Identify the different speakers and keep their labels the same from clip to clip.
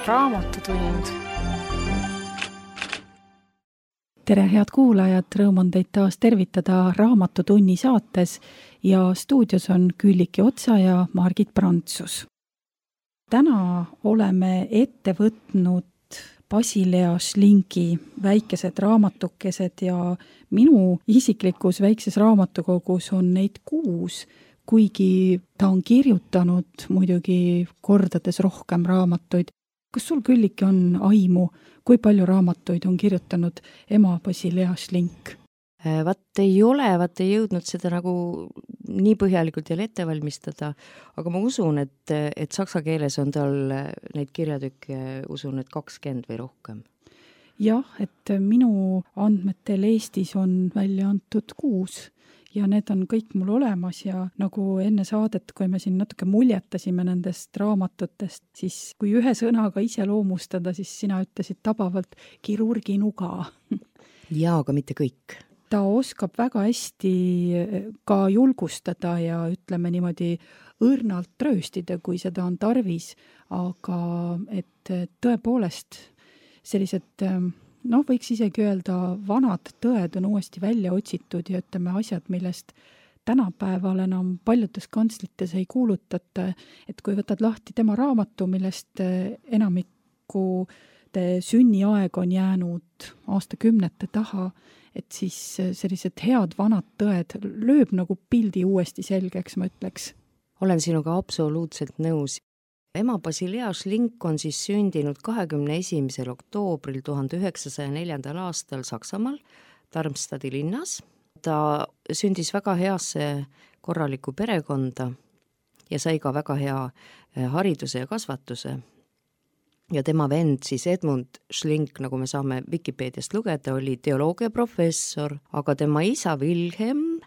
Speaker 1: Raamatutund.
Speaker 2: Tere, head kuulajad, rõõm on teid taas tervitada Raamatutunni saates ja stuudios on Külliki Otsa ja Margit Prantsus. Täna oleme ette võtnud Basilea Schlingi väikesed raamatukesed ja minu isiklikus väikses raamatukogus on neid 6, kuigi ta on kirjutanud muidugi kordades rohkem raamatuid. Kas sul, Külliki, on aimu, kui palju raamatuid on kirjutanud ema Basilea Schling?
Speaker 3: Ei jõudnud seda nagu nii põhjalikult jälle ette valmistada, aga ma usun, et saksa keeles on tal neid kirjatükke, usun, et 20 või rohkem.
Speaker 2: Jah, et minu andmetel Eestis on välja antud 6 ja need on kõik mul olemas ja nagu enne saadet, kui me siin natuke muljetasime nendest raamatutest, siis kui ühe sõnaga iseloomustada, siis sina ütlesid tabavalt kirurgi nuga.
Speaker 3: Jaa, aga mitte kõik.
Speaker 2: Ta oskab väga hästi ka julgustada ja ütleme niimoodi õrnalt trööstida, kui seda on tarvis, aga et tõepoolest sellised, võiks isegi öelda, vanad tõed on uuesti välja otsitud ja ütleme asjad, millest tänapäeval enam paljudes kantslites ei kuulutata, et kui võtad lahti tema raamatu, millest enamiku sünniaeg on jäänud aastakümnete taha, et siis sellised head vanad tõed lööb nagu pildi uuesti selgeks, ma ütleks.
Speaker 3: Olen sinuga absoluutselt nõus. Ema Basilea Schling on siis sündinud 21. oktoobril 1904. aastal Saksamaal, Darmstadti linnas. Ta sündis väga heasse korralikku perekonda ja sai ka väga hea hariduse ja kasvatuse. Ja tema vend siis Edmund Schling, nagu me saame Wikipeediast lugeda, oli teoloogiaprofessor, aga tema isa Wilhelm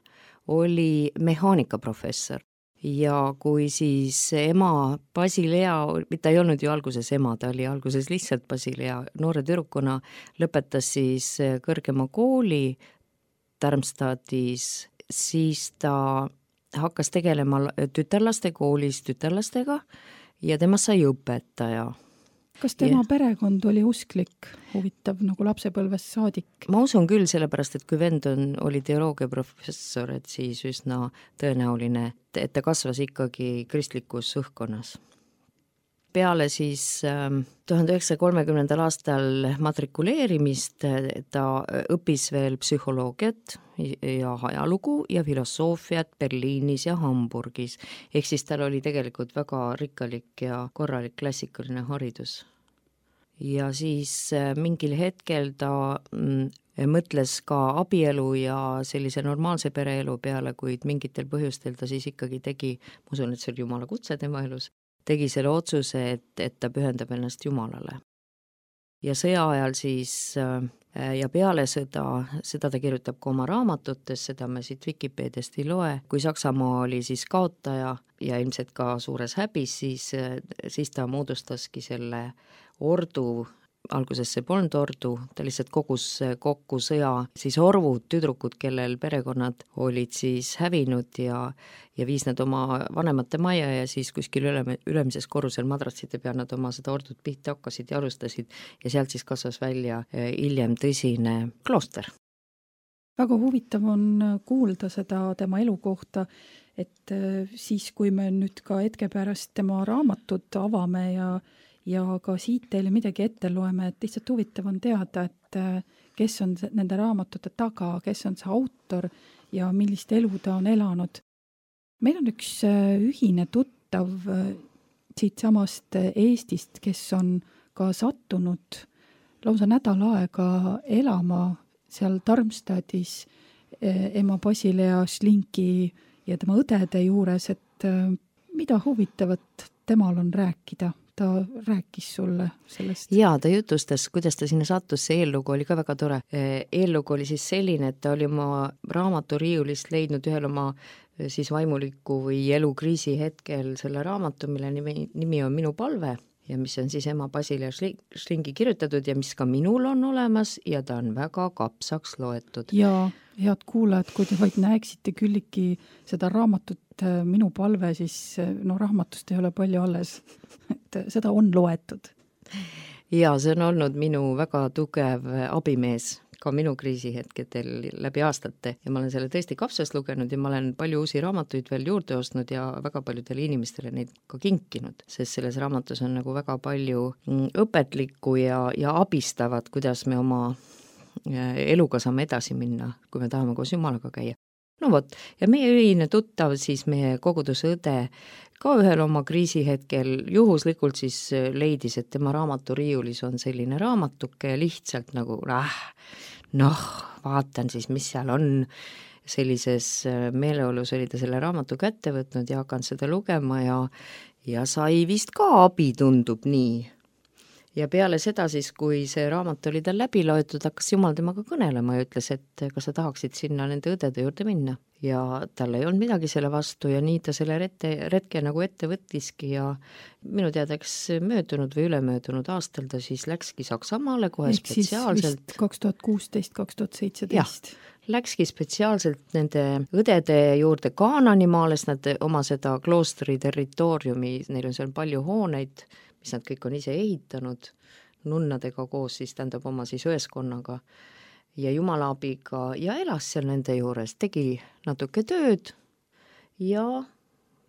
Speaker 3: oli mehaanikaprofessor. Ja kui siis ema Basilea, ta ei olnud ju alguses ema, ta oli alguses lihtsalt Basilea, noore tüdrukuna lõpetas siis kõrgema kooli Darmstadtis, siis ta hakkas tegelema tütarlaste koolis tütarlastega ja temast sai õpetaja.
Speaker 2: Kas tema perekond oli usklik, huvitav nagu lapsepõlvest saadik?
Speaker 3: Ma usun küll, sellepärast, et kui vend oli teoloogiaprofessor, et siis üsna tõenäoline, et ta kasvas ikkagi kristlikus õhkkonnas. Peale siis 1930. aastal matrikuleerimist ta õppis veel psühholoogiat ja ajalugu ja filosoofiat Berliinis ja Hamburgis. Ehk siis tal oli tegelikult väga rikkalik ja korralik klassikaline haridus. Ja siis mingil hetkel ta mõtles ka abielu ja sellise normaalse pereelu peale, kuid mingitel põhjustel ta siis ikkagi tegi, ma usun, et see oli Jumala kutse tema elus, tegi selle otsuse, et ta pühendab ennast Jumalale. Ja sõja ajal siis ja peale seda ta kirjutab ka oma raamatutes, seda me siit Wikipeediast ei loe. Kui Saksamaa oli siis kaotaja ja ilmselt ka suures häbis, siis ta moodustaski selle ordu, alguses see polnud ordu, ta lihtsalt kogus kokku sõja siis orvud, tüdrukud, kellel perekonnad olid siis hävinud ja viis nad oma vanemate maja ja siis kuskil ülemises korrusel madratside peal nad oma seda ordut pihta hakkasid ja alustasid ja sealt siis kasvas välja hiljem tõsine klooster.
Speaker 2: Väga huvitav on kuulda seda tema elu kohta, et siis kui me nüüd ka hetke pärast tema raamatut avame ja ka siit teile midagi ette loeme, et lihtsalt huvitav on teada, et kes on nende raamatute taga, kes on see autor ja millist elu ta on elanud. Meil on üks ühine tuttav siit samast Eestist, kes on ka sattunud lausa nädal aega elama seal Darmstadtis ema Basilea Schlingi ja tema õdede juures, et mida huvitavat temal on rääkida? Ta rääkis sulle sellest?
Speaker 3: Jaa, ta jutustas, kuidas ta sinna sattus, see eellugu oli ka väga tore. Eellugu oli siis selline, et ta oli oma raamaturiiulist leidnud ühel oma siis vaimuliku või elukriisi hetkel selle raamatu, mille nimi on Minu palve ja mis on siis ema Basilea Schlingi kirjutatud ja mis ka minul on olemas ja ta on väga kapsaks loetud.
Speaker 2: Ja head kuulajad, kui te vaid näeksite Külliki seda raamatut Minu palve, siis raamatust ei ole palju alles, et seda on loetud.
Speaker 3: Ja see on olnud minu väga tugev abimees ka minu kriisihetkedel läbi aastate ja ma olen selle tõesti kapsast lugenud ja ma olen palju uusi raamatuid veel juurde ostnud ja väga paljudele inimestele neid ka kinkinud, sest selles raamatus on nagu väga palju õpetlikku ja abistavat, kuidas me oma eluga saame edasi minna, kui me tahame koos Jumalaga käia. No vot, ja meie ühine tuttav, siis meie koguduse õde, ka ühel oma kriisihetkel juhuslikult siis leidis, et tema raamaturiiulis on selline raamatuke ja lihtsalt nagu vaatan siis, mis seal on. Sellises meeleolus oli ta selle raamatu kätte võtnud ja hakanud seda lugema ja sai vist ka abi, tundub nii. Ja peale seda siis, kui see raamat oli tal läbi loetud, hakkas Jumal temaga kõnelema ja ütles, et kas sa tahaksid sinna nende õdede juurde minna. Ja tal ei olnud midagi selle vastu ja nii ta selle retke nagu ette võttiski ja minu teadaks möödunud või ülemöödunud aastal ta siis läkski Saksamaale kohe
Speaker 2: ehk
Speaker 3: spetsiaalselt.
Speaker 2: Ehk siis vist 2016-2017.
Speaker 3: Läkski spetsiaalselt nende õdede juurde Kaananimaale, sest nad oma seda kloostri territooriumi, neil on seal palju hooneid, mis nad kõik on ise ehitanud, nunnadega koos siis tähendab oma siis õeskonnaga ja Jumala abiga ja elas seal nende juures, tegi natuke tööd ja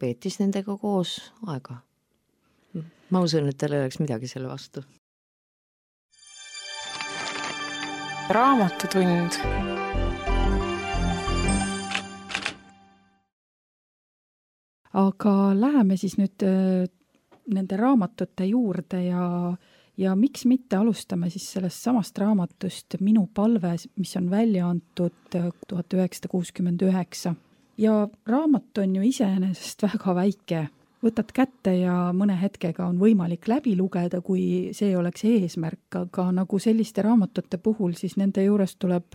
Speaker 3: veetis nendega koos aega. Ma usun, et tal ei oleks midagi selle vastu.
Speaker 1: Raamatutund.
Speaker 2: Aga läheme siis nüüd nende raamatute juurde ja miks mitte alustame siis sellest samast raamatust Minu palve, mis on välja antud 1969. Ja raamat on ju iseenesest väga väike. Võtad kätte ja mõne hetkega on võimalik läbi lugeda, kui see oleks eesmärk, aga nagu selliste raamatute puhul, siis nende juures tuleb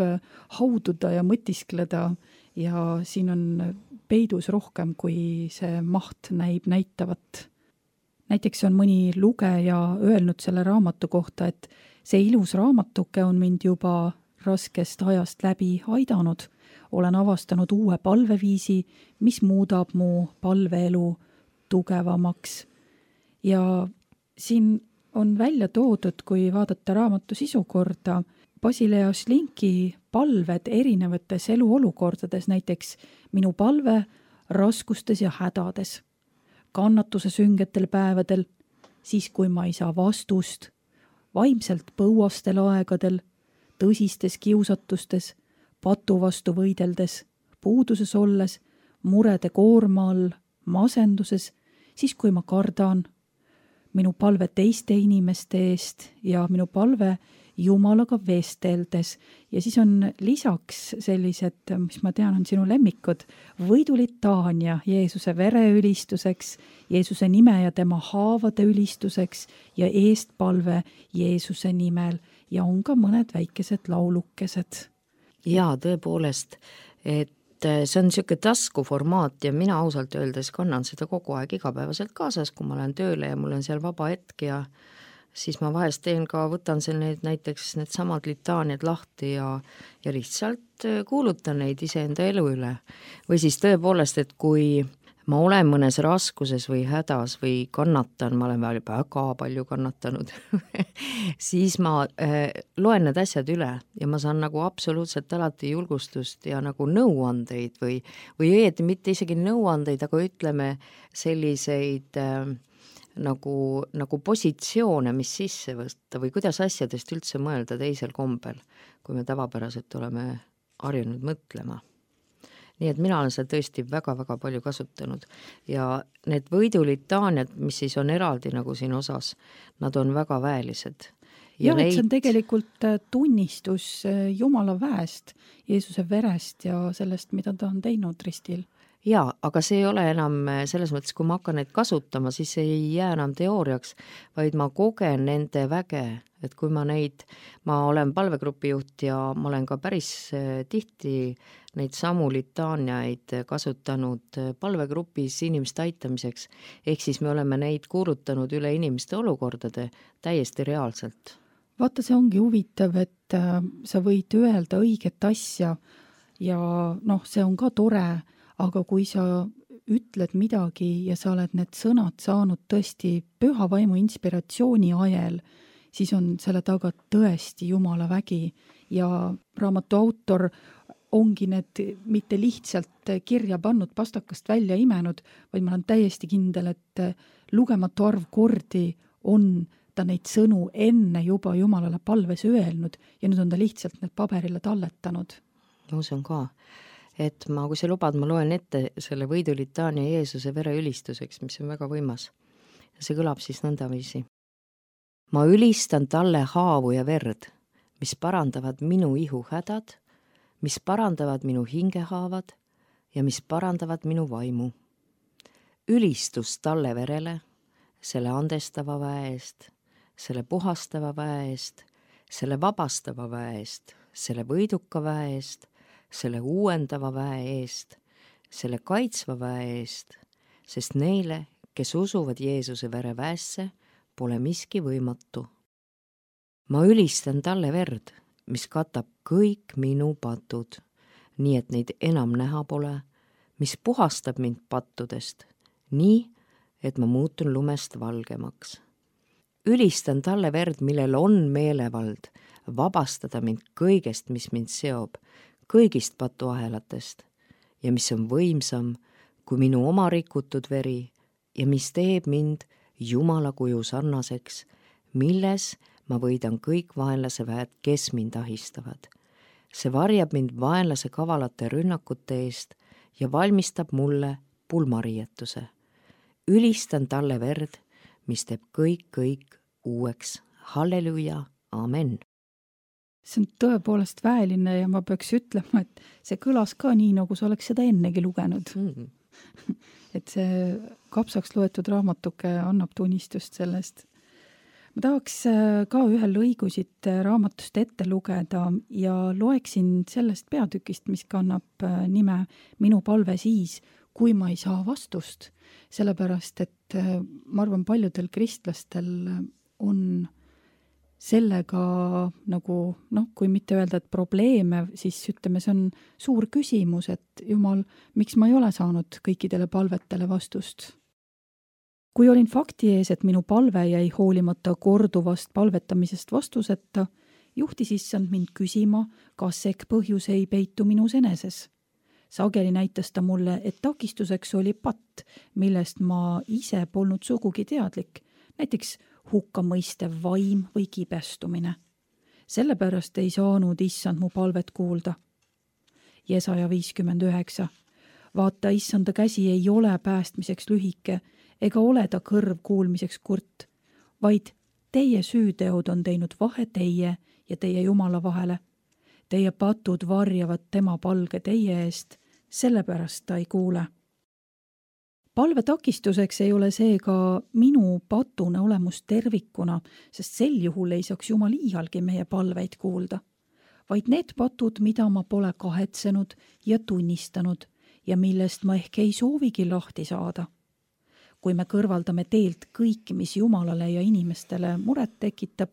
Speaker 2: haududa ja mõtiskleda ja siin on peidus rohkem, kui see maht näitavat. Näiteks on mõni lugeja öelnud selle raamatu kohta, et see ilus raamatuke on mind juba raskest ajast läbi aidanud. Olen avastanud uue palveviisi, mis muudab mu palveelu tugevamaks. Ja siin on välja toodud, kui vaadata raamatu sisukorda, Basilea Šlinki palved erinevates eluolukordades, näiteks minu palve raskustes ja hädades. Kannatuse süngetel päevadel, siis kui ma ei saa vastust, vaimselt põuastel aegadel, tõsistes kiusatustes, patu vastu võideldes, puuduses olles, murede koorma all, masenduses, siis kui ma kardan, minu palve teiste inimeste eest ja minu palve Jumalaga vesteldes. Ja siis on lisaks sellised, mis ma tean, on sinu lemmikud, võidulitaania Jeesuse vere ülistuseks, Jeesuse nime ja tema haavade ülistuseks ja eestpalve Jeesuse nimel ja on ka mõned väikesed laulukesed.
Speaker 3: Jaa, tõepoolest, et see on niisugune taskuformaat ja mina ausalt öeldes kannan seda kogu aeg igapäevaselt kaasas, kui ma olen tööle ja mul on seal vaba hetk ja siis ma vahest võtan näiteks need samad litaaniad lahti ja lihtsalt kuulutan neid iseenda elu üle. Või siis tõepoolest, et kui ma olen mõnes raskuses või hädas või kannatan, ma olen väga palju kannatanud, siis ma loen need asjad üle ja ma saan nagu absoluutselt alati julgustust ja nagu nõuandeid või õieti mitte isegi nõuandeid, aga ütleme selliseid nagu positsioone, mis sisse võtta või kuidas asjadest üldse mõelda teisel kombel, kui me tavapäraselt oleme harjunud mõtlema. Nii et mina olen seda tõesti väga-väga palju kasutanud ja need võidulitaaniad, mis siis on eraldi nagu siin osas, nad on väga väelised.
Speaker 2: Ja et see on tegelikult tunnistus Jumala väest, Jeesuse verest ja sellest, mida ta on teinud ristil.
Speaker 3: Jaa, aga see ei ole enam selles mõttes, kui ma hakkan neid kasutama, siis ei jää enam teooriaks, vaid ma kogen nende väge, et kui ma olen palvegrupi juht ja ma olen ka päris tihti neid samu litaaniaid kasutanud palvegrupis inimeste aitamiseks, ehk siis me oleme neid kuulutanud üle inimeste olukordade täiesti reaalselt.
Speaker 2: Vaata, see ongi huvitav, et sa võid öelda õiget asja ja see on ka tore, aga kui sa ütled midagi ja sa oled need sõnad saanud tõesti püha vaimu inspiratsiooni ajel, siis on selle taga tõesti Jumala vägi ja raamatu autor ongi need mitte lihtsalt kirja pannud, pastakast välja imenud, vaid ma olen täiesti kindel, et lugematu arv kordi on ta neid sõnu enne juba Jumalale palves öelnud ja nüüd on ta lihtsalt need paberile talletanud.
Speaker 3: Ma usun ka, et kui sa lubad, ma loen ette selle võidulitaania Jeesuse vere ülistuseks, mis on väga võimas. Ja see kõlab siis nõndaviisi. Ma ülistan talle haavu ja verd, mis parandavad minu ihu hädad, mis parandavad minu hingehaavad ja mis parandavad minu vaimu. Ülistus talle verele, selle andestava väe eest, selle puhastava väe eest, selle vabastava väe eest, selle võiduka väe eest, selle uuendava väe eest, selle kaitsva väe eest, sest neile, kes usuvad Jeesuse vere väesse, pole miski võimatu. Ma ülistan talle verd, mis katab kõik minu patud, nii et neid enam näha pole, mis puhastab mind pattudest, nii, et ma muutun lumest valgemaks. Ülistan talle verd, millel on meelevald, vabastada mind kõigest, mis mind seob, kõigist patuahelatest ja mis on võimsam kui minu oma rikutud veri ja mis teeb mind Jumala kuju sarnaseks, milles ma võidan kõik vaenlase väed, kes mind ahistavad. See varjab mind vaenlase kavalate rünnakute eest ja valmistab mulle pulmariietuse. Ülistan talle verd, mis teeb kõik uueks. Halleluja, amen.
Speaker 2: See on tõepoolest väeline ja ma peaks ütlema, et see kõlas ka nii, nagu sa oleks seda ennegi lugenud. Et see kapsaks loetud raamatuke annab tunnistust sellest. Ma tahaks ka ühe lõigu siit raamatust ette lugeda ja loeksin sellest peatükist, mis kannab nime Minu palve siis, kui ma ei saa vastust. Sellepärast, et ma arvan, paljudel kristlastel on sellega nagu, kui mitte öelda, et probleeme, siis ütleme, see on suur küsimus, et Jumal, miks ma ei ole saanud kõikidele palvetele vastust? Kui olin fakti ees, et minu palve jäi hoolimata korduvast palvetamisest vastuseta, juhtis issand mind küsima, kas ehk põhjus ei peitu minus eneses. Sageli näitas ta mulle, et takistuseks oli patt, millest ma ise polnud sugugi teadlik, näiteks hukkamõistev vaim või kibestumine. Sellepärast ei saanud issand mu palvet kuulda. Jesaja 59. Vaata, issanda käsi ei ole päästmiseks lühike ega ole ta kõrv kuulmiseks kurt, vaid teie süüteod on teinud vahe teie ja teie Jumala vahele. Teie patud varjavad tema palge teie eest, sellepärast ta ei kuule. Palve takistuseks ei ole seega minu patune olemus tervikuna, sest sel juhul ei saaks Jumal iialgi meie palveid kuulda, vaid need patud, mida ma pole kahetsenud ja tunnistanud ja millest ma ehk ei soovigi lahti saada. Kui me kõrvaldame teelt kõik, mis Jumalale ja inimestele muret tekitab,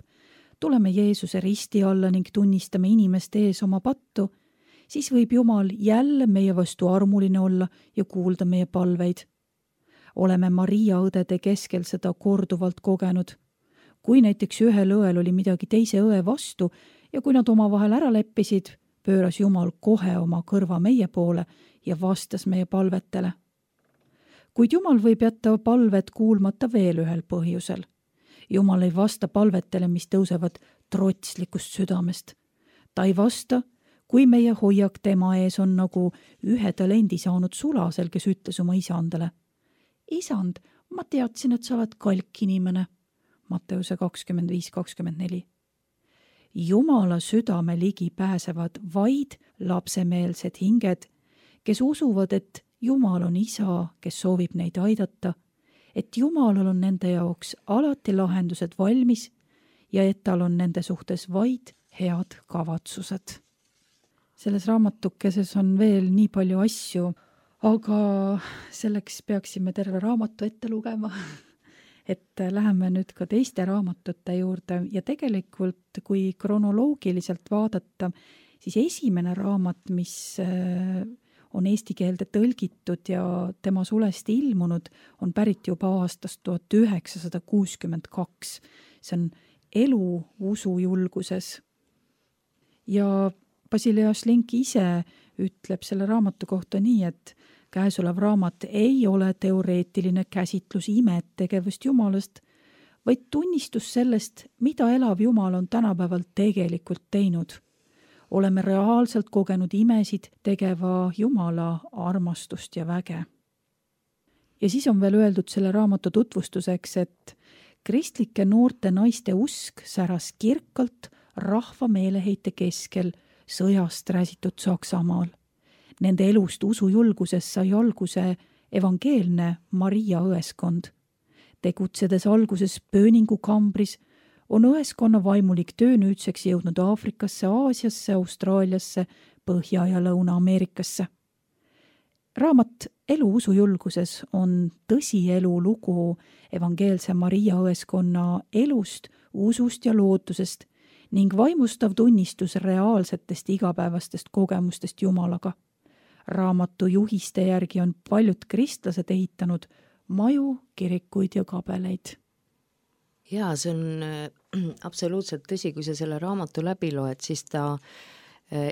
Speaker 2: tuleme Jeesuse risti alla ning tunnistame inimeste ees oma pattu, siis võib Jumal jälle meie vastu armuline olla ja kuulda meie palveid. Oleme Maria õdede keskel seda korduvalt kogenud. Kui näiteks ühel õel oli midagi teise õe vastu ja kui nad omavahel ära leppisid, pööras Jumal kohe oma kõrva meie poole ja vastas meie palvetele. Kuid Jumal võib jätta palved kuulmata veel ühel põhjusel. Jumal ei vasta palvetele, mis tõusevad trotslikust südamest. Ta ei vasta, kui meie hoiak tema ees on nagu ühe talendi saanud sulasel, kes ütles oma isandale. Isand, ma teadsin, et sa oled kalk inimene. Matteuse 25-24. Jumala südame ligi pääsevad vaid lapsemeelsed hinged, kes usuvad, et Jumal on isa, kes soovib neid aidata, et Jumalal on nende jaoks alati lahendused valmis ja et tal on nende suhtes vaid head kavatsused. Selles raamatukeses on veel nii palju asju, aga selleks peaksime terve raamatu ette lugema, et läheme nüüd ka teiste raamatute juurde ja tegelikult, kui kronoloogiliselt vaadata, siis esimene raamat, mis on eesti keelde tõlgitud ja tema sulest ilmunud, on pärit juba aastast 1962. See on elu usujulguses. Ja Basilias Link ise ütleb selle raamatu kohta nii, et käesolev raamat ei ole teoreetiline käsitlus imetegevust Jumalast, vaid tunnistus sellest, mida elav Jumal on tänapäeval tegelikult teinud. Oleme reaalselt kogenud imesid tegeva Jumala armastust ja väge. Ja siis on veel öeldud selle raamatu tutvustuseks, et kristlike noorte naiste usk säras kirkalt rahva meeleheite keskel sõjast räsitud Saksamaal. Nende elust usujulguses sai alguse evangeelne Maria õeskond. Tegutsedes alguses pööningukambris, on õeskonna vaimulik töö nüüdseks jõudnud Aafrikasse, Aasiasse, Austraaliasse, Põhja- ja Lõuna-Ameerikasse. Raamat Elu usujulguses on tõsielu lugu evangeelse Maria õeskonna elust, usust ja lootusest ning vaimustav tunnistus reaalsetest igapäevastest kogemustest Jumalaga. Raamatu juhiste järgi on paljud kristlased ehitanud maju, kirikuid ja kabeleid.
Speaker 3: Jaa, see on absoluutselt tõsi, kui sa selle raamatu läbi loed, siis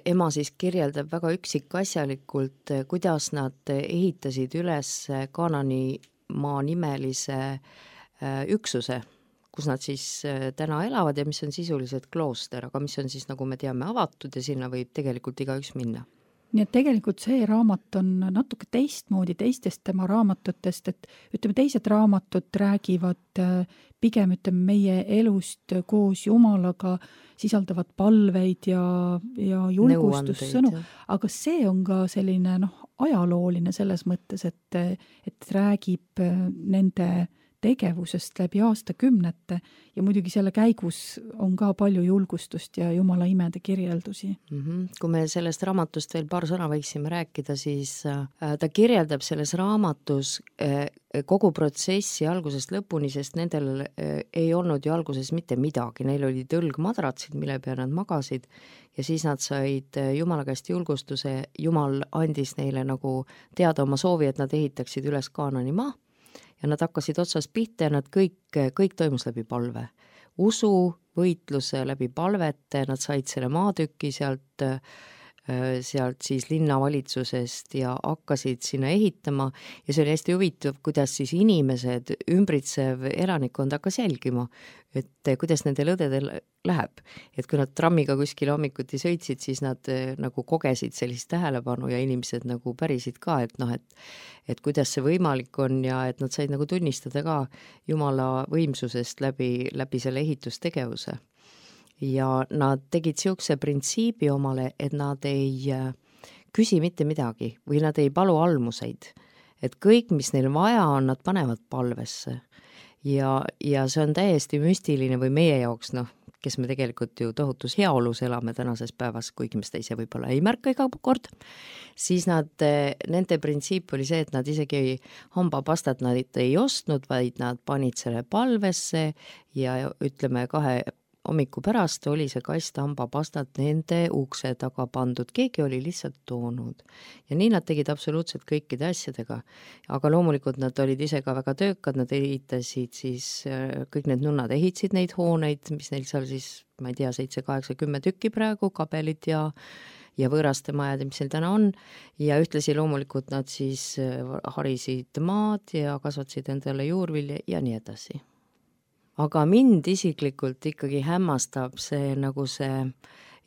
Speaker 3: ema siis kirjeldab väga üksikasjalikult, kuidas nad ehitasid üles Kaananimaa nimelise üksuse, kus nad siis täna elavad ja mis on sisuliselt klooster, aga mis on siis, nagu me teame, avatud ja sinna võib tegelikult igaüks minna.
Speaker 2: Nii et tegelikult see raamat on natuke teistmoodi teistest tema raamatutest, et ütleme, teised raamatud räägivad pigem meie elust koos Jumalaga, sisaldavad palveid ja julgustussõnu, aga see on ka selline ajalooline selles mõttes, et räägib nende tegevusest läbi aastakümnete ja muidugi selle käigus on ka palju julgustust ja Jumala imede kirjeldusi.
Speaker 3: Kui me sellest raamatust veel paar sõna võiksime rääkida, siis ta kirjeldab selles raamatus kogu protsessi algusest lõpuni, sest nendel ei olnud ju alguses mitte midagi, neil olid õlgmadratsid, mille peal nad magasid ja siis nad said Jumala käest julgustuse, Jumal andis neile nagu teada oma soovi, et nad ehitaksid üles Kaananimaa. Ja nad hakkasid otsast pihta ja nad kõik toimus läbi palve. Usu, võitluse läbi palvete, nad said selle maatüki sealt siis linnavalitsusest ja hakkasid sinna ehitama ja see oli hästi huvitav, kuidas siis inimesed, ümbritsev elanikkond hakkas jälgima, et kuidas nendel õdedel läheb. Et kui nad trammiga kuskil hommikuti sõitsid, siis nad nagu kogesid sellist tähelepanu ja inimesed nagu pärisid ka, et kuidas see võimalik on ja et nad said nagu tunnistada ka Jumala võimsusest läbi selle ehitustegevuse. Ja nad tegid siukse printsiibi omale, et nad ei küsi mitte midagi või nad ei palu almuseid. Et kõik, mis neil vaja on, nad panevad palvesse. Ja see on täiesti müstiline või meie jaoks, kes me tegelikult ju tohutus heaolus elame tänases päevas, kuigi me seda ise võib-olla ei märka iga kord, siis nende printsiip oli see, et nad isegi hambapastat nad ei ostnud, vaid nad panid selle palvesse ja ütleme 2 hommiku pärast oli see kast hambapastat nende ukse taga pandud, keegi oli lihtsalt toonud. Ja nii nad tegid absoluutselt kõikide asjadega. Aga loomulikult nad olid ise ka väga töökad, nad ehitasid siis, kõik need nunnad ehitasid neid hooneid, mis neil seal siis, ma ei tea, 7, 8, 10 tükki praegu, kabelid ja võõraste majad, mis neil täna on. Ja ühtlasi loomulikult nad siis harisid maad ja kasvatasid endale juurvilja ja nii edasi. Aga mind isiklikult ikkagi hämmastab see nagu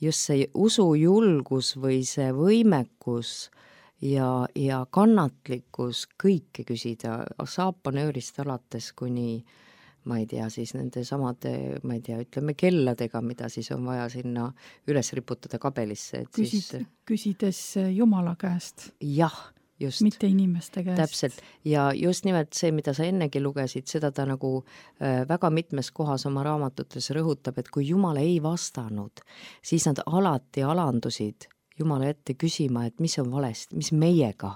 Speaker 3: just see usujulgus või see võimekus ja kannatlikkus kõike küsida saapanöörist alates kuni, ma ei tea, siis nende samade, ma ei tea, ütleme kelladega, mida siis on vaja sinna üles riputada kabelisse.
Speaker 2: Küsides Jumala käest.
Speaker 3: Jah. Just.
Speaker 2: Mitte inimeste käest.
Speaker 3: Täpselt. Ja just nimelt see, mida sa ennegi lugesid, seda ta nagu väga mitmes kohas oma raamatutes rõhutab, et kui Jumal ei vastanud, siis nad alati alandusid Jumala ette küsima, et mis on valesti, mis meiega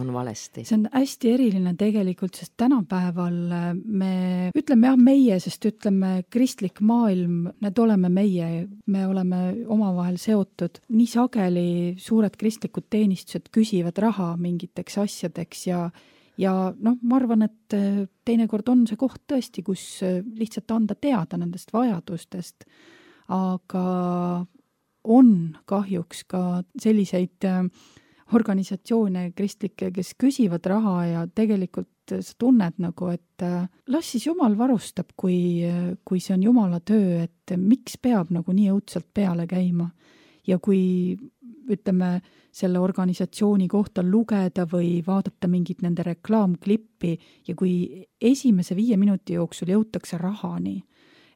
Speaker 3: on valesti.
Speaker 2: See on hästi eriline tegelikult, sest tänapäeval me ütleme meie, sest ütleme kristlik maailm, need oleme me oleme omavahel seotud. Nii sageli suured kristlikud teenistused küsivad raha mingiteks asjadeks ja ma arvan, et teinekord on see koht tõesti, kus lihtsalt anda teada nendest vajadustest, aga on kahjuks ka selliseid organisatsioone kristlikke, kes küsivad raha ja tegelikult sa tunned nagu, et las siis Jumal varustab, kui see on Jumala töö, et miks peab nagu nii õudselt peale käima. Ja kui ütleme, selle organisatsiooni kohta lugeda või vaadata mingit nende reklaamklippi ja kui esimese 5 minuti jooksul jõutakse rahani,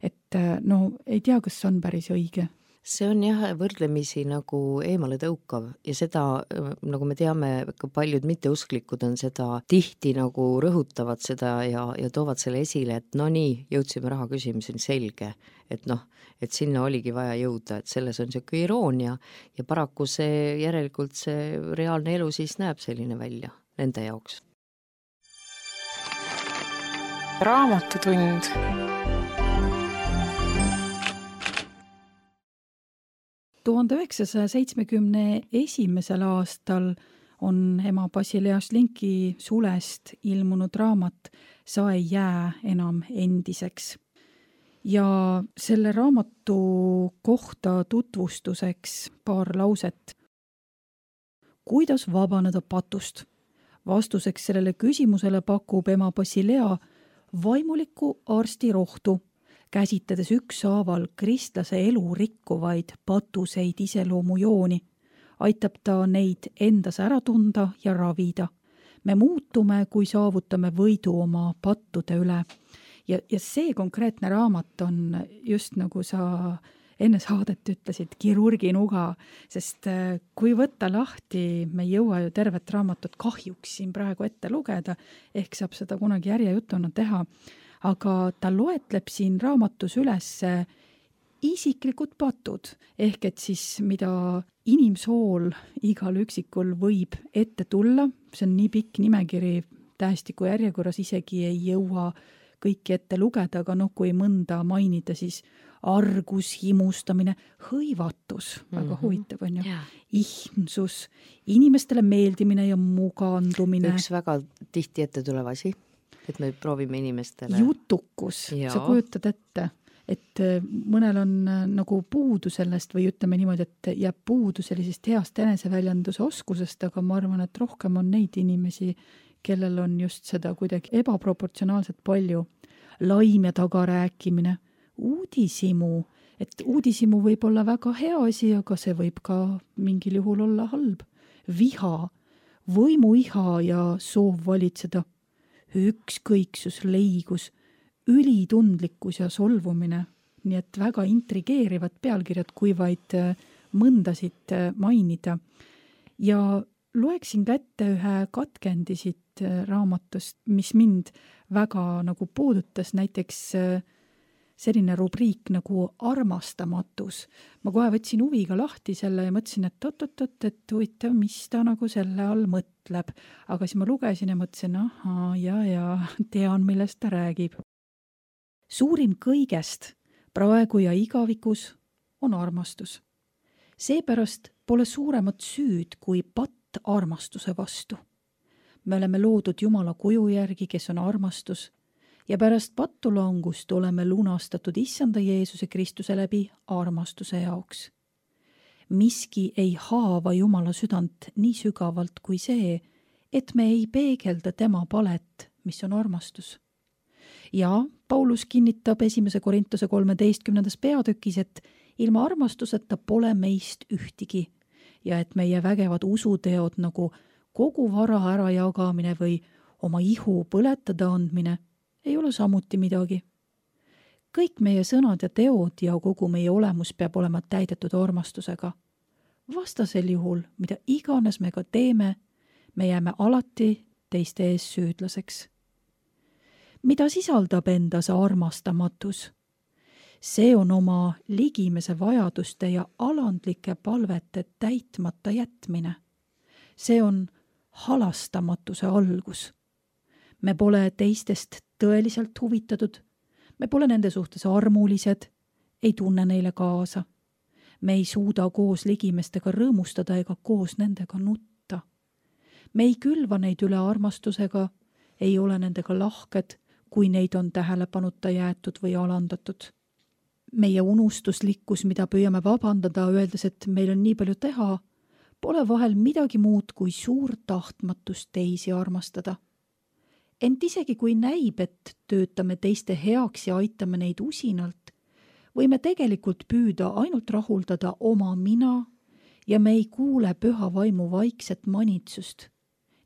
Speaker 2: et ei tea, kas see on päris õige.
Speaker 3: See on jah võrdlemisi nagu eemale tõukav ja seda, nagu me teame, ka paljud mitteusklikud on seda tihti nagu rõhutavad seda ja toovad selle esile, et nii, jõudsime raha küsimiseni, selge, et sinna oligi vaja jõuda, et selles on siuke iroonia ja paraku see järelikult see reaalne elu siis näeb selline välja nende jaoks.
Speaker 1: Raamatutund.
Speaker 2: ...1971. aastal on ema Basilea Šlinki sulest ilmunud raamat Sa ei jää enam endiseks. Ja selle raamatu kohta tutvustuseks paar lauset. Kuidas vabaneda patust? Vastuseks sellele küsimusele pakub ema Basilea vaimuliku arsti rohtu, käsitledes ükshaaval kristlase elu rikkuvaid patuseid iseloomujooni, aitab ta neid endas ära tunda ja ravida. Me muutume, kui saavutame võidu oma pattude üle. Ja see konkreetne raamat on just nagu sa enne saadet ütlesid, kirurgi nuga, sest kui võtta lahti, me ei jõua ju tervet raamatut kahjuks siin praegu ette lugeda, ehk saab seda kunagi järjejutuna teha, aga ta loetleb siin raamatus üles isiklikud patud, ehk et siis mida inimsool igal üksikul võib ette tulla, see on nii pikk nimekiri, tähestiku järjekorras isegi ei jõua kõiki ette lugeda, aga kui mõnda mainida, siis argus, himustamine, hõivatus, väga huvitav on ju, ihmsus, inimestele meeldimine ja mugandumine.
Speaker 3: Üks väga tihti ette tulev asi, et me proovime inimestele.
Speaker 2: Jutukus, sa kujutad ette, et mõnel on nagu puudu sellest või ütleme niimoodi, et jääb puudu sellisest heast eneseväljenduse oskusest, aga ma arvan, et rohkem on neid inimesi, kellel on just seda kuidagi ebaproportsionaalselt palju. Laim ja tagarääkimine, uudisimu, et uudisimu võib olla väga hea asi, aga see võib ka mingil juhul olla halb. Viha, võimuiha ja soov valitseda, ükskõiksus, leigus, ülitundlikkus ja solvumine, nii et väga intrigeerivad pealkirjad, kui vaid mõndasid mainida. Ja loeksin kätte ühe katkendi siit raamatust, mis mind väga nagu puudutas, näiteks selline rubriik nagu armastamatus. Ma kohe võtsin huviga lahti selle ja mõtlesin, et huvitav, mis ta nagu selle all mõtleb. Aga siis ma lugesin ja mõtlesin, ja tean, millest ta räägib. Suurim kõigest praegu ja igavikus on armastus. Seepärast pole suuremat süüd kui patt armastuse vastu. Me oleme loodud Jumala kuju järgi, kes on armastus, ja pärast pattulangust oleme lunastatud Issanda Jeesuse Kristuse läbi armastuse jaoks. Miski ei haava Jumala südant nii sügavalt kui see, et me ei peegelda tema palet, mis on armastus. Ja Paulus kinnitab 1. Korintuse 13. peatükis, et ilma armastuseta pole meist ühtigi ja et meie vägevad usuteod nagu kogu vara ära jagamine või oma ihu põletada andmine ei ole samuti midagi. Kõik meie sõnad ja teod ja kogu meie olemus peab olema täidetud armastusega. Vastasel juhul, mida iganes me ka teeme, me jääme alati teiste ees süüdlaseks. Mida sisaldab endas armastamatus? See on oma ligimese vajaduste ja alandlike palvete täitmata jätmine. See on halastamatuse algus. Me pole teistest tõeliselt huvitatud, me pole nende suhtes armulised, ei tunne neile kaasa. Me ei suuda koos ligimestega rõõmustada ega koos nendega nutta. Me ei külva neid üle armastusega, ei ole nendega lahked, kui neid on tähelepanuta jäetud või alandatud. Meie unustuslikkus, mida püüame vabandada, öeldes, et meil on nii palju teha, pole vahel midagi muud kui suur tahtmatus teisi armastada. Ent isegi kui näib, et töötame teiste heaks ja aitame neid usinalt, võime tegelikult püüda ainult rahuldada oma mina ja me ei kuule püha vaimu vaikset manitsust.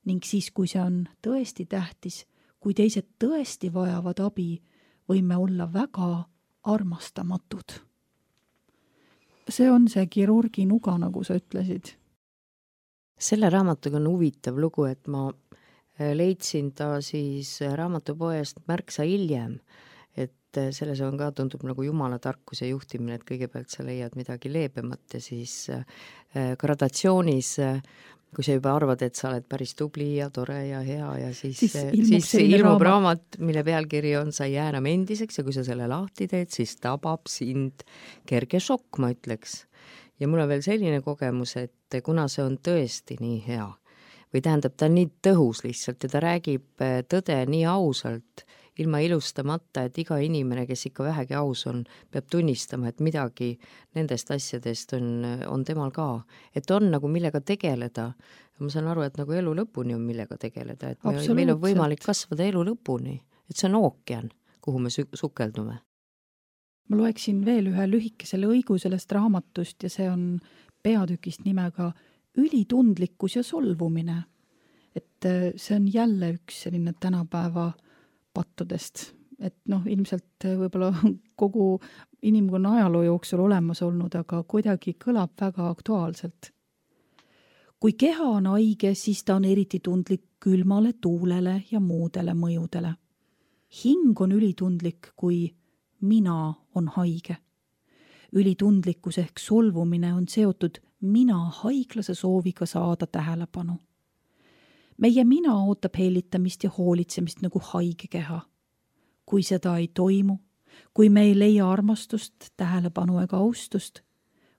Speaker 2: Ning siis, kui see on tõesti tähtis, kui teised tõesti vajavad abi, võime olla väga armastamatud. See on see kirurgi nuga, nagu sa ütlesid.
Speaker 3: Selle raamatuga on huvitav lugu, et ma leidsin ta siis raamatupoest märksa hiljem, et selles on ka, tundub nagu jumala tarkus ja juhtimine, et kõigepealt sa leiad midagi leebemat ja siis gradatsioonis, kui sa juba arvad, et sa oled päris tubli ja tore ja hea ja siis ilmub raamat, mille pealkiri on Sa ei jää enam endiseks ja kui sa selle lahti teed, siis tabab sind kerge šokk, ma ütleks. Ja mul on veel selline kogemus, et kuna see on tõesti nii hea või tähendab, ta on nii tõhus lihtsalt ja ta räägib tõde nii ausalt, ilma ilustamata, et iga inimene, kes ikka vähegi aus on, peab tunnistama, et midagi nendest asjadest on temal ka. Et on nagu millega tegeleda. Ma saan aru, et nagu elu lõpuni on millega tegeleda. Et meil on võimalik kasvada elu lõpuni. Et see on ookean, kuhu me sukeldume.
Speaker 2: Ma loeksin veel ühe lühikese lõigu sellest raamatust ja see on peatükist nimega Ülitundlikkus ja solvumine. Et see on jälle üks selline tänapäeva pattudest, et ilmselt võib-olla kogu inimkonna ajaloo jooksul olemas olnud, aga kuidagi kõlab väga aktuaalselt. Kui keha on haige, siis ta on eriti tundlik külmale tuulele ja muudele mõjudele. Hing on ülitundlik, kui mina on haige. Ülitundlikkus ehk solvumine on seotud mina haiglase sooviga saada tähelepanu. Meie mina ootab hellitamist ja hoolitsemist nagu haige keha. Kui seda ei toimu, kui me ei leia armastust, tähelepanu ega austust,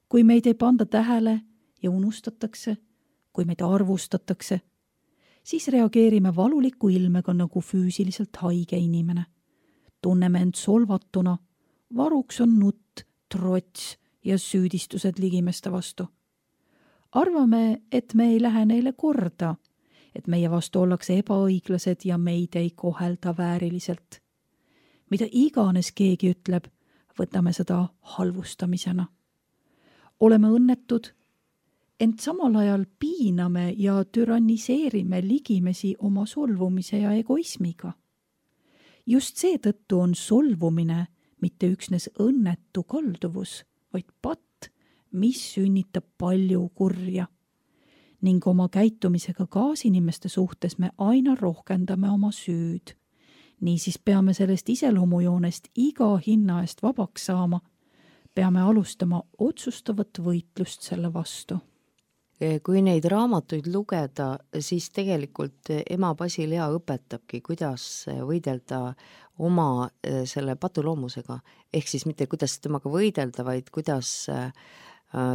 Speaker 2: kui meid ei panda tähele ja unustatakse, kui meid arvustatakse, siis reageerime valuliku ilmega nagu füüsiliselt haige inimene. Tunneme end solvatuna, varuks on nutt, trots ja süüdistused ligimeste vastu. Arvame, et me ei lähe neile korda, et meie vastu ollakse ebaõiglased ja meid ei kohelda vääriliselt. Mida iganes keegi ütleb, võtame seda halvustamisena. Oleme õnnetud, ent samal ajal piiname ja tyranniseerime ligimesi oma solvumise ja egoismiga. Just seetõttu on solvumine mitte üksnes õnnetu kalduvus, vaid patt, mis sünnitab palju kurja. Ning oma käitumisega kaasinimeste suhtes me aina rohkendame oma süüd. Niisiis peame sellest iseloomujoonest iga hinna eest vabaks saama. Peame alustama otsustavat võitlust selle vastu.
Speaker 3: Kui neid raamatuid lugeda, siis tegelikult ema Basilea õpetabki, kuidas võidelda oma selle patuloomusega. Ehk siis mitte kuidas temaga võidelda, vaid kuidas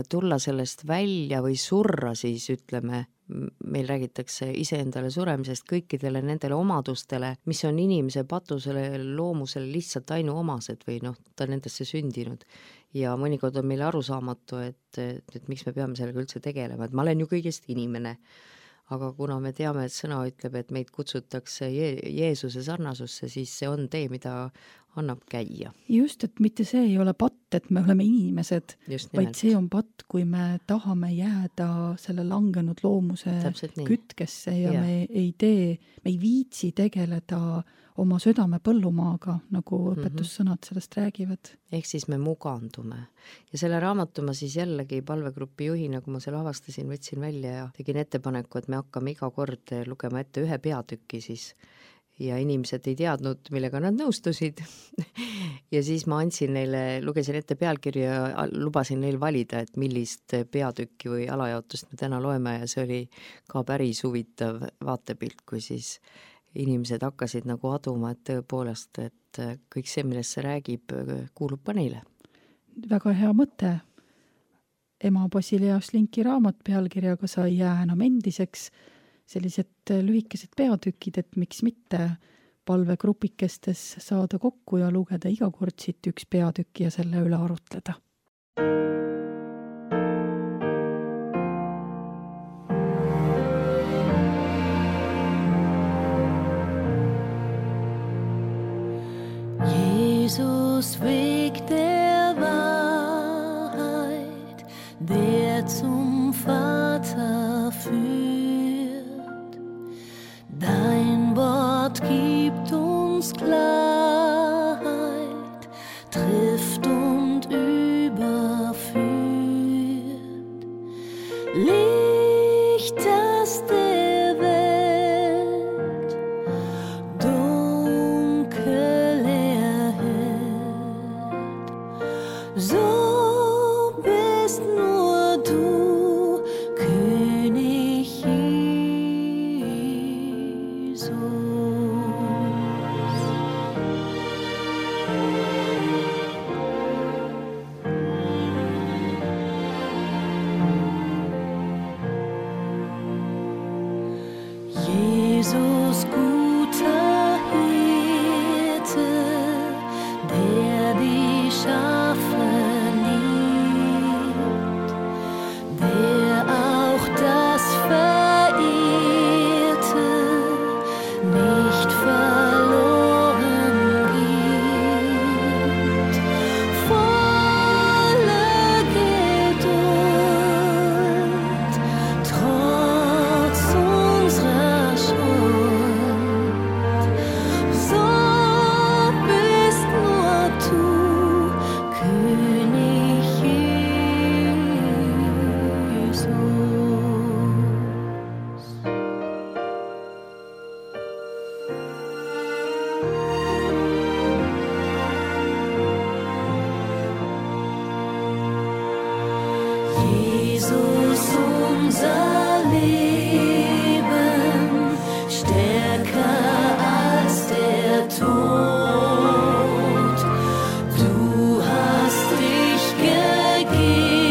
Speaker 3: tulla sellest välja või surra siis, ütleme, meil räägitakse iseendale suremisest kõikidele nendele omadustele, mis on inimese patusele loomusele lihtsalt ainuomased või ta nendesse sündinud. Ja mõnikord on meile arusaamatu, et miks me peame sellega üldse tegelema, et ma olen ju kõigest inimene. Aga kuna me teame, et sõna ütleb, et meid kutsutakse Jeesuse sarnasusse, siis see on tee, mida annab käia.
Speaker 2: Just, et mitte see ei ole patt, et me oleme inimesed, vaid see on patt, kui me tahame jääda selle langenud loomuse kütkesse ja me ei viitsi tegeleda oma südame põllumaaga, nagu õpetussõnad sellest räägivad.
Speaker 3: Ehk siis me mugandume. Ja selle raamatu ma siis jällegi palvegrupi juhina, kui ma selle avastasin, võtsin välja ja tegin ettepaneku, et me hakkame iga kord lugema ette ühe peatüki siis ja inimesed ei teadnud, millega nad nõustusid ja siis ma andsin neile, lugesin ette pealkirja ja lubasin neil valida, et millist peatükki või alajaotust me täna loeme ja see oli ka päris huvitav vaatepilt, kui siis inimesed hakkasid nagu aduma, et tõepoolest, et kõik see, millest see räägib, kuulub ka neile.
Speaker 2: Väga hea mõte. Ema Basilea Šlinki raamat pealkirjaga Sa ei jää enam endiseks, sellised lühikesed peatükid, et miks mitte palvegrupikestes saada kokku ja lugeda iga kord siit üks peatükk ja selle üle arutleda.
Speaker 1: Jesus Weg der Wahrheit, der zum Vater führt. Dein Wort gibt uns Klarheit, trifft und überführt. Licht, das der Welt dunkel erhellt. So bist nur du, König Jesus. Jesus, guter Hirte, der die Schafe liebt, der auch das Verehrte nicht verloren gibt. Voller Geduld, trotz unserer Schuld, so bist nur du, König Jesus. Jesus, unser Leben, stärker als der Tod. Du hast dich gegeben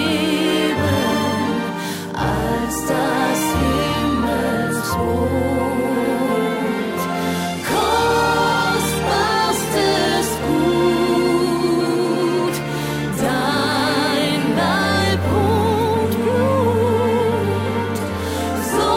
Speaker 1: als das Himmelsbrot. Kostbarstes Gut, dein Leib und Blut, so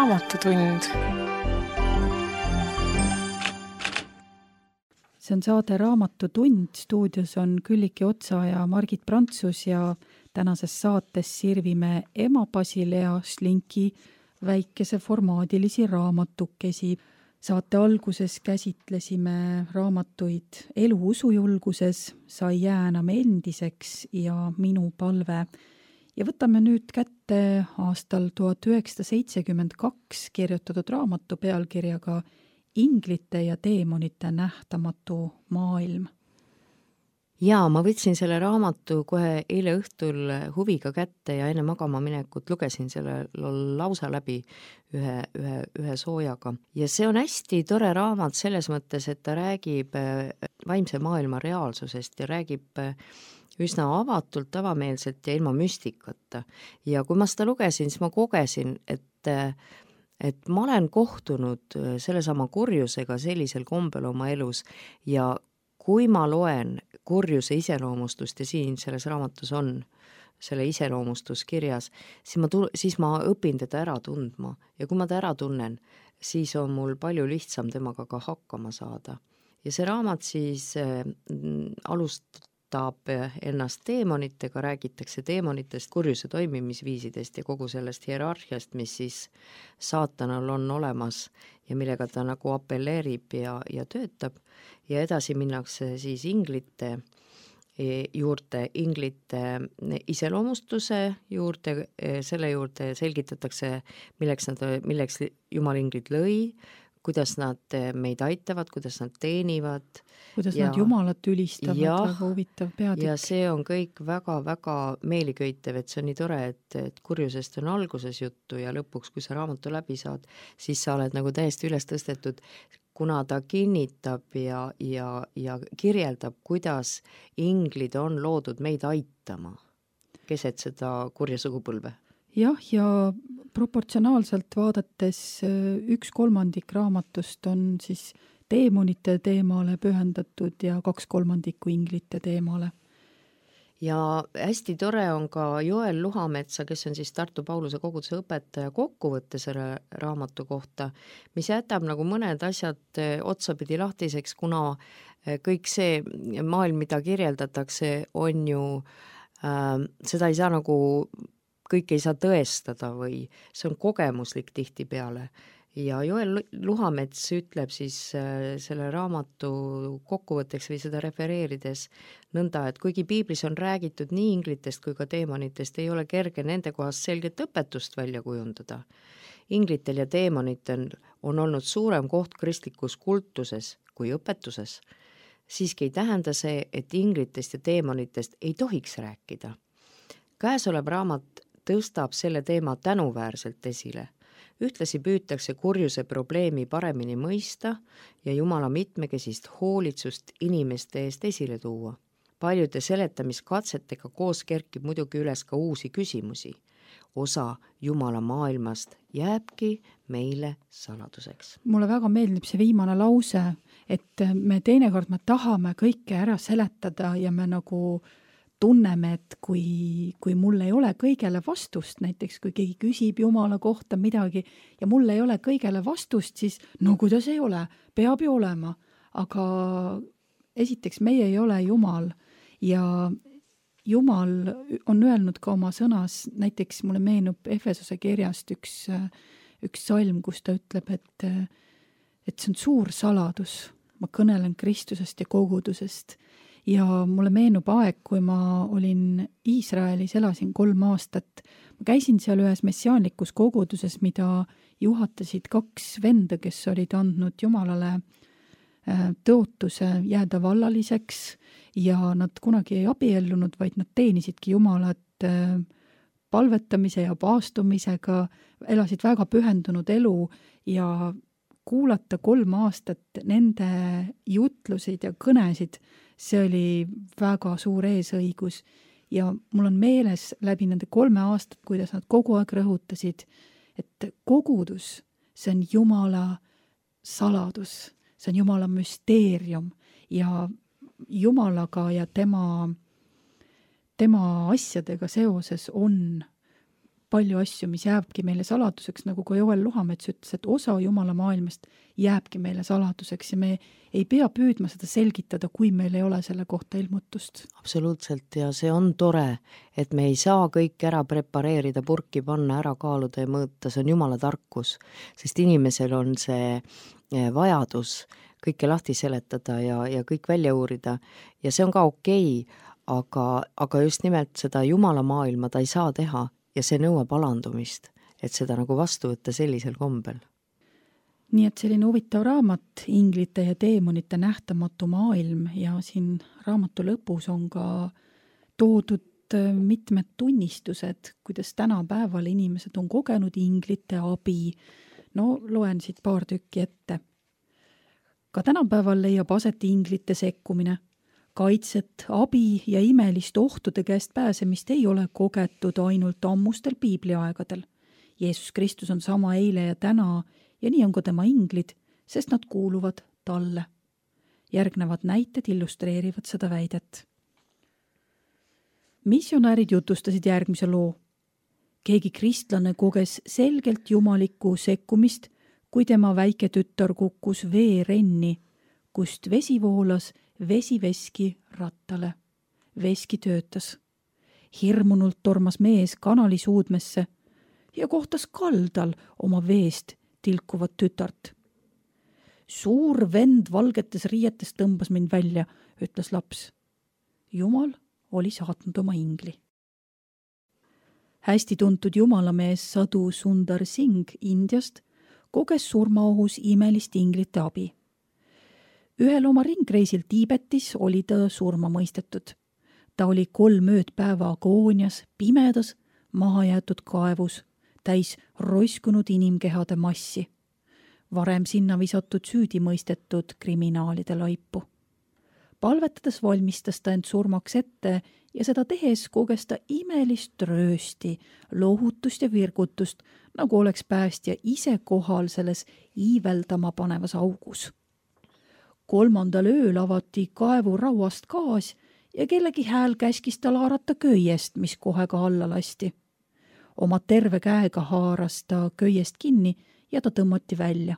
Speaker 4: Raamatutund.
Speaker 2: See on saade Raamatutund, stuudios on Külliki Otsa ja Margit Prantsus ja tänases saates sirvime ema Basilea Šlinki väikese formaadilisi raamatukesi. Saate alguses käsitlesime raamatuid Elu usujulguses, Sai jää enam endiseks ja Minu palve. Ja võtame nüüd kätte aastal 1972 kirjutatud raamatu pealkirjaga Inglite ja teemonite nähtamatu maailm.
Speaker 3: Jaa, ma võtsin selle raamatu kohe eile õhtul huviga kätte ja enne magama minekut lugesin selle lausa läbi ühe soojaga. Ja see on hästi tore raamat selles mõttes, et ta räägib vaimse maailma reaalsusest ja räägib üsna avatult, avameelselt ja ilma müstikata. Ja kui ma seda lugesin, siis ma kogesin, et ma olen kohtunud sellesama kurjusega sellisel kombel oma elus ja kui ma loen kurjuse iseloomustust ja siin selles raamatus on selle iseloomustus kirjas, siis ma õpin teda ära tundma ja kui ma ta ära tunnen, siis on mul palju lihtsam temaga ka hakkama saada. Ja see raamat siis alustab ennast teemonitega, räägitakse teemonitest, kurjuse toimimisviisidest ja kogu sellest hierarhiast, mis siis saatanal on olemas ja millega ta nagu apelleerib ja töötab. Ja edasi minnakse siis inglite juurde, inglite iseloomustuse juurde, selle juurde selgitatakse, milleks Jumal inglid lõi, kuidas nad meid aitavad, kuidas nad teenivad.
Speaker 2: Kuidas nad Jumalat ülistavad, väga huvitav peatükk.
Speaker 3: Ja see on kõik väga-väga meeliköitev, et see on nii tore, et kurjusest on alguses juttu ja lõpuks, kui sa raamatu läbi saad, siis sa oled nagu täiesti üles tõstetud, kuna ta kinnitab ja kirjeldab, kuidas inglid on loodud meid aitama keset seda kurja sugupõlve.
Speaker 2: Jah, ja proportsionaalselt vaadates 1/3 raamatust on siis teemonite teemale pühendatud ja 2/3 inglite teemale.
Speaker 3: Ja hästi tore on ka Joel Luhametsa, kes on siis Tartu Pauluse koguduse õpetaja, kokkuvõtte selle raamatu kohta, mis jätab nagu mõned asjad otsapidi lahtiseks, kuna kõik see maailm, mida kirjeldatakse, on ju, seda ei saa nagu kõik ei saa tõestada või see on kogemuslik tihtipeale. Ja Joel Luhamets ütleb siis selle raamatu kokkuvõtteks või seda refereerides nõnda, et kuigi piiblis on räägitud nii inglitest kui ka teemonitest, ei ole kerge nende kohast selget õpetust välja kujundada. Inglitel ja teemonitel on olnud suurem koht kristlikus kultuses kui õpetuses. Siiski ei tähenda see, et inglitest ja teemonitest ei tohiks rääkida. Käesolev raamat tõstab selle teema tänuväärselt esile. Ühtlasi püütakse kurjuse probleemi paremini mõista ja Jumala mitmekesist hoolitsust inimeste eest esile tuua. Paljude seletamiskatsetega koos kerkib muidugi üles ka uusi küsimusi. Osa Jumala maailmast jääbki meile saladuseks.
Speaker 2: Mulle väga meeldib see viimane lause, et me teinekord tahame kõike ära seletada ja me nagu tunneme, et kui mul ei ole kõigele vastust, näiteks kui keegi küsib Jumala kohta midagi ja mul ei ole kõigele vastust, siis no kuidas ei ole, peab ju olema. Aga esiteks meie ei ole Jumal ja Jumal on öelnud ka oma sõnas, näiteks mulle meenub Efesose kirjast üks salm, kus ta ütleb, et see on suur saladus. Ma kõnelen Kristusest ja kogudusest. Ja mulle meenub aeg, kui ma olin Iisraelis, elasin 3 aastat. Ma käisin seal ühes messiaanlikus koguduses, mida juhatasid 2 venda, kes olid andnud Jumalale tõotuse jääda vallaliseks ja nad kunagi ei abiellunud, vaid nad teenisidki Jumalat palvetamise ja paastumisega, elasid väga pühendunud elu ja kuulata 3 aastat nende jutlusid ja kõnesid, see oli väga suur eesõigus ja mul on meeles läbi nende 3 aastat, kuidas nad kogu aeg rõhutasid, et kogudus, see on Jumala saladus, see on Jumala müsteerium ja Jumalaga ja tema asjadega seoses on palju asju, mis jääbki meile saladuseks, nagu ka Joel Luhamets ütles, et osa Jumala maailmast jääbki meile saladuseks ja me ei pea püüdma seda selgitada, kui meil ei ole selle kohta ilmutust.
Speaker 3: Absoluutselt, ja see on tore, et me ei saa kõik ära prepareerida, purki panna, ära kaaluda ja mõõta, see on Jumala tarkus, sest inimesel on see vajadus kõike lahti seletada ja kõik välja uurida ja see on ka okei, aga just nimelt seda Jumala maailma ta ei saa teha ja see nõuab alandumist, et seda nagu vastu võtta sellisel kombel.
Speaker 2: Nii et selline huvitav raamat, Inglite ja teemonite nähtamatu maailm ja siin raamatu lõpus on ka toodud mitmed tunnistused, kuidas tänapäeval inimesed on kogenud inglite abi. No loen siit paar tükki ette. Ka tänapäeval leiab aset inglite sekkumine. Kaitset, abi ja imelist ohtude käest pääsemist ei ole kogetud ainult ammustel piibliaegadel. Jeesus Kristus on sama eile ja täna ja nii on ka tema inglid, sest nad kuuluvad talle. Järgnevad näited illustreerivad seda väidet. Missionäärid jutustasid järgmise loo. Keegi kristlane koges selgelt jumalikku sekkumist, kui tema väike tütar kukkus veerenni, kust vesi voolas vesiveski rattale. Veski töötas. Hirmunult tormas mees kanali suudmesse ja kohtas kaldal oma veest tilkuvat tütart. Suur vend valgetes riietes tõmbas mind välja, ütles laps. Jumal oli saatnud oma ingli. Hästi tuntud jumalamees Sadhu Sundar Singh Indiast koges surmaohus imelist inglite abi. Ühel oma ringreisil Tiibetis oli ta surma mõistetud. Ta oli 3 ööd-päeva agoonias, pimedas, mahajäetud kaevus, täis roiskunud inimkehade massi. Varem sinna visatud süüdi mõistetud kriminaalide laipu. Palvetades valmistas ta end surmaks ette ja seda tehes koges ta imelist röösti, lohutust ja virgutust, nagu oleks päästja ise kohal selles iiveldama panevas augus. 3. ööl avati kaevu rauast gaas ja kellegi hääl käskis tal haarata köiest, mis kohe ka alla lasti. Oma terve käega haaras ta köiest kinni ja ta tõmmati välja.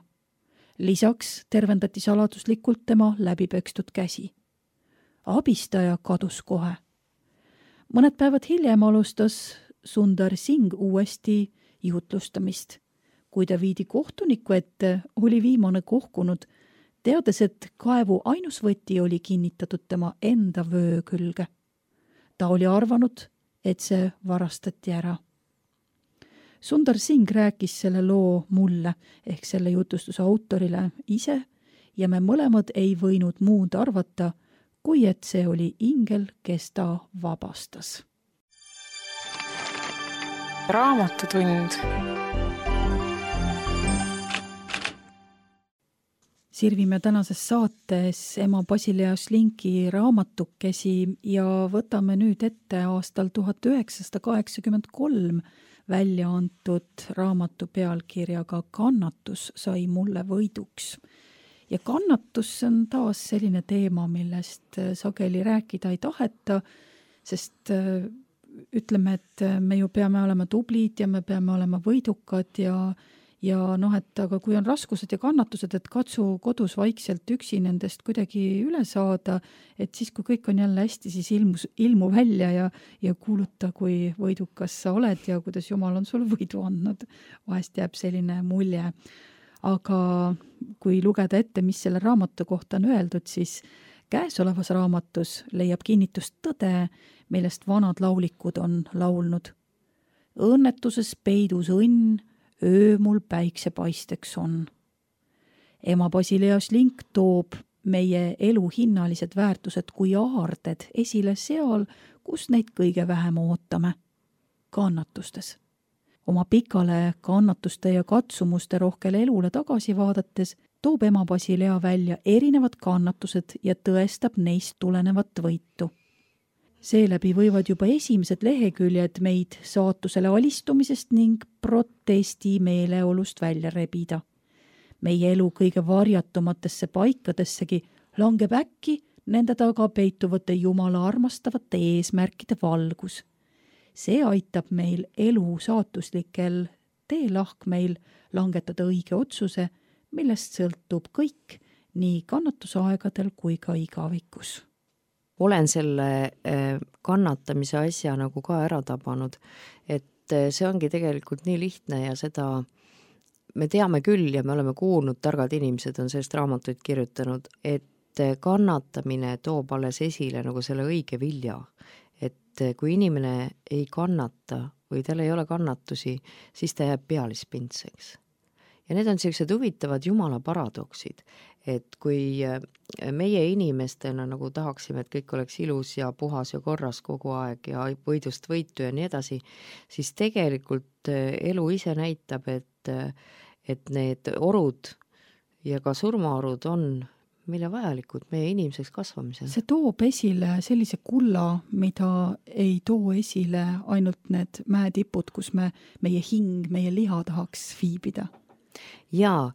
Speaker 2: Lisaks tervendati saladuslikult tema läbipökstud käsi. Abistaja kadus kohe. Mõned päevad hiljem alustas Sundar Singh uuesti jutlustamist. Kui ta viidi kohtuniku ette, oli viimane kohkunud, teades, et kaevu ainus võti oli kinnitatud tema enda vöö külge. Ta oli arvanud, et see varastati ära. Sundar Singh rääkis selle loo mulle ehk selle jutustuse autorile ise ja me mõlemad ei võinud muud arvata, kui et see oli ingel, kes ta vabastas.
Speaker 4: Raamatutund.
Speaker 2: Sirvime tänases saates ema Basilea Šlinki raamatukesi ja võtame nüüd ette aastal 1983 välja antud raamatu pealkirjaga Kannatus sai mulle võiduks. Ja kannatus on taas selline teema, millest sageli rääkida ei taheta, sest ütleme, et me ju peame olema tublid ja me peame olema võidukad ja et aga kui on raskused ja kannatused, et katsu kodus vaikselt üksi nendest kuidagi üle saada, et siis, kui kõik on jälle hästi, siis ilmu välja ja kuuluta, kui võidukas sa oled ja kuidas Jumal on sul võidu andnud. Vahest jääb selline mulje. Aga kui lugeda ette, mis selle raamatu kohta on öeldud, siis käesolevas raamatus leiab kinnitust tõde, millest vanad laulikud on laulnud. Õnnetuses peidus õnn, öö mul päiksepaisteks on. Ema Basilea Šlink toob meie elu hinnalised väärtused kui aarded esile seal, kus neid kõige vähem ootame. Kannatustes. Oma pikale kannatuste ja katsumuste rohkele elule tagasi vaadates toob ema Basilea välja erinevad kannatused ja tõestab neist tulenevat võitu. Seeläbi võivad juba esimesed leheküljed meid saatusele alistumisest ning protesti meeleolust välja rebida. Meie elu kõige varjatumatesse paikadessegi langeb äkki nende taga peituvate Jumala armastavate eesmärkide valgus. see aitab meil elu saatuslikel teelahkmeil langetada õige otsuse, millest sõltub kõik, nii kannatusaegadel kui ka igavikus.
Speaker 3: Olen selle kannatamise asja nagu ka ära tabanud, et see ongi tegelikult nii lihtne ja seda me teame küll ja me oleme kuulnud, targad inimesed on sellest raamatuid kirjutanud, et kannatamine toob alles esile nagu selle õige vilja. Et kui inimene ei kannata või tal ei ole kannatusi, siis ta jääb pealispindseks. Ja need on sellised huvitavad jumala paradoksid, et kui meie inimestena nagu tahaksime, et kõik oleks ilus ja puhas ja korras kogu aeg ja võidust võitu ja nii edasi, siis tegelikult elu ise näitab, et need orud ja ka surmaorud on meile vajalikud meie inimeseks kasvamisel.
Speaker 2: See toob esile sellise kulla, mida ei too esile ainult need mäetipud, kus meie hing, meie liha tahaks viibida.
Speaker 3: Ja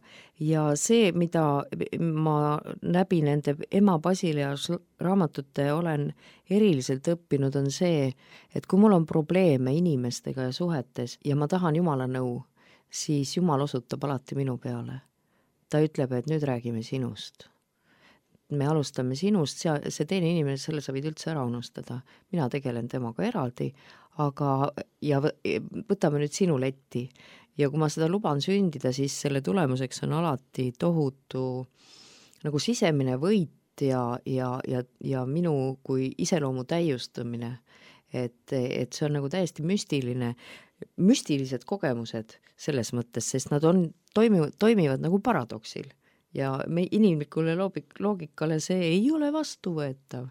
Speaker 3: see, mida ma läbi nende ema Basileas raamatute olen eriliselt õppinud, on see, et kui mul on probleeme inimestega ja suhetes ja ma tahan Jumala nõu, siis Jumal osutab alati minu peale. Ta ütleb, et nüüd räägime sinust. Me alustame sinust, see teine inimene, selle sa võid üldse ära unustada. Mina tegelen temaga eraldi, aga ja võtame nüüd sinu letti. Ja kui ma seda luban sündida, siis selle tulemuseks on alati tohutu nagu sisemine võit ja minu kui iseloomu täiustamine. Et see on nagu täiesti müstilised kogemused selles mõttes, sest nad toimivad nagu paradoksil. Ja inimlikule loogikale see ei ole vastuvõetav.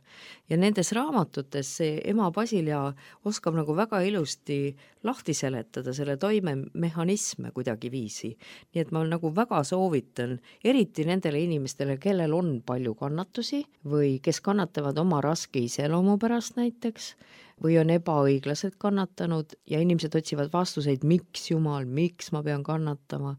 Speaker 3: Ja nendes raamatutes see ema Basilea oskab nagu väga ilusti lahti seletada selle toimemehhanisme kuidagi viisi. Nii et ma nagu väga soovitan, eriti nendele inimestele, kellel on palju kannatusi või kes kannatavad oma raske iseloomu pärast näiteks, või on ebaõiglaselt kannatanud ja inimesed otsivad vastuseid, miks Jumal, miks ma pean kannatama,